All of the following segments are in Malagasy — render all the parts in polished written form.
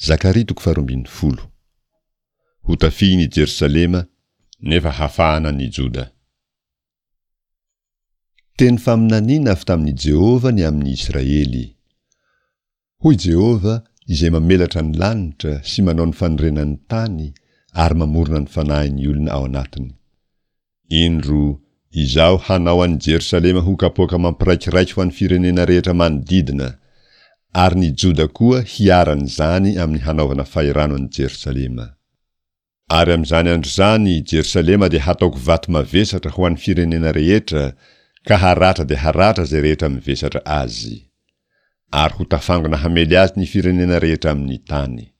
Zakaria toko faharoambinifolo. Hotafihin' i Jerosalema, nefa hafahana ny Joda. Teny faminaniana avy tamin' i Jehovah ny amin' ny Israely. Hoy Jehovah, Izay mamelatra ny lanitra sy manao ny fanorenan'ny tany ary mamorona ny fanahin'ny olona ao anatiny. Indro, Izaho hanao an'i Jerosalema ho kapoaka mampiraikiraiky ho an'ny firenena rehetra manodidina, ary ny Joda koa hiharan'izany amin'ny hanaovana fahirano an'i Jerosalema. Ary amin'izany andro izany Jerosalema dia hataoko vato mavesatra ho an'ny firenena rehetra, ka haratra dia haratra izay rehetra mivesatra azy. Ary ho tafangona hamely azy ny firenena rehetra amin'ny tany.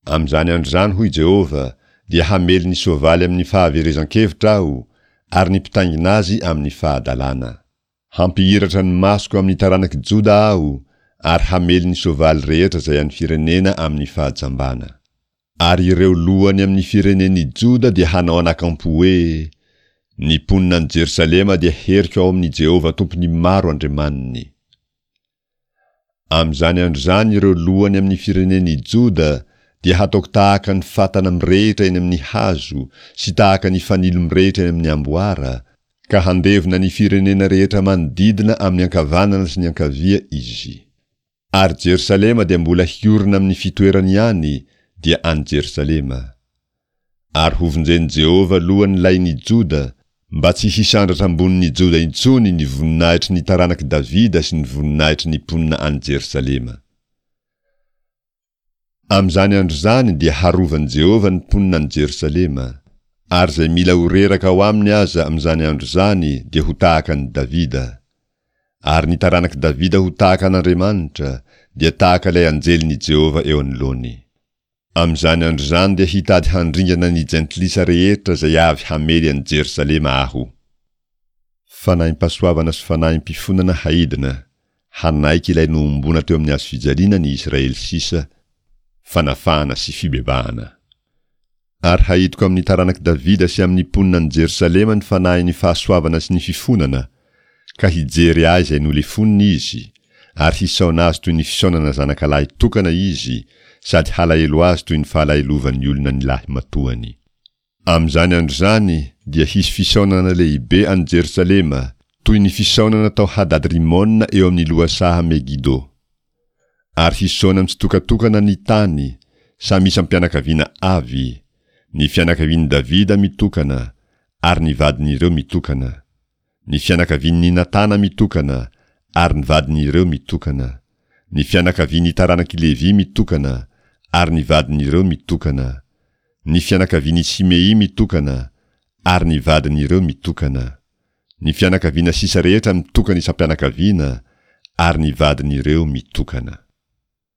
Amin'izany andro izany, hoy Jehovah, dia hamely ny soavaly amin'ny fahaverezan-kevitra Aho, ary ny mpitaingina azy amin'ny fahadalana. Hampihiratra ny masoko amin'ny taranak'i Joda Aho ary hamely ny soavaly rehetra izay an'ny firenena amin'ny fahajambana. Ary ireo lohany amin'ny firenen'i Joda dia hanao anakampo hoe, Ny mponina any Jerosalema dia heriko ao amin'i Jehovah Tompon'ny maro Andriamaniny. Amin'izany andro izany ireo lohany amin'ny firenen'i Joda dia hataoko tahaka ny fatana mirehitra eny amin'ny hazo sy tahaka ny fanilo mirehitra eny amin'ny amboara, ka handevona ny firenena rehetra manodidina amin'ny ankavanana sy ny ankavia izy. Ary Jerosalema dia mbola hiorina amin'ny fitoerany ihany, dia any Jerosalema. Ary hovonjen'i Jehovah aloha ny lain'i Joda, mba tsy hisandratra ambonin'i Joda intsony ny voninahitry ny taranak'i Davida sy ny voninahitry ny mponina any Jerosalema. Amin'izany andro izany dia harovan'i Jehovah ny mponina any Jerosalema, ary izay mila ho reraka ao aminy aza amin'izany andro izany dia ho tahaka an'i Davida, ary ny taranak'i Davida ho tahaka an'Andriamanitra, dia tahaka ilay anjelin'i Jehovah eo anoloany. Amin'izany andro izany dia hitady handringana ny jentilisa rehetra izay avy hamely an'i Jerosalema Aho. Fanahim-pahasoavana sy fanahim-pifonana haidina, hanaiky ilay nohomboana teo amin'ny hazofijaliana ny Israely sisa, fanafahana sy fibebahana. Ary hahitiko amin'ny taranak'i Davida sy amin'ny mponina any Jerosalema ny fanahin'ny fahasoavana sy ny fifonana, ka hijery ahy izay nolefoniny izy, ary hisaona azy toy ny fisaonana zanakalahy tokana izy, sady halahelo azy toy ny fahalahelovan'ny olona ny lahimatoany. Amin'izany andro izany dia hisy fisaonana lehibe any Jerosalema, toy ny fisaonana tao Hadadrimona eo amin'ny lohasaha Megido. Ary hisaona mitsitokatokana ny tany, samy isam-pianakaviana avy, ny fianakavian'i Davida mitokana, ary ny vadin'ireo mitokana, ny fianakavian'i Natana mitokana, ary ny vadin'ireo mitokana, ny fianakavian'ny taranak'i Levy mitokana, ary ny vadin'ireo mitokana, ny fianakavian'i Simey mitokana, ary ny vadin'ireo mitokana. Ny fianakaviana sisa rehetra mitokana isam-pianakaviana ary ny vadin'ireo mitokana.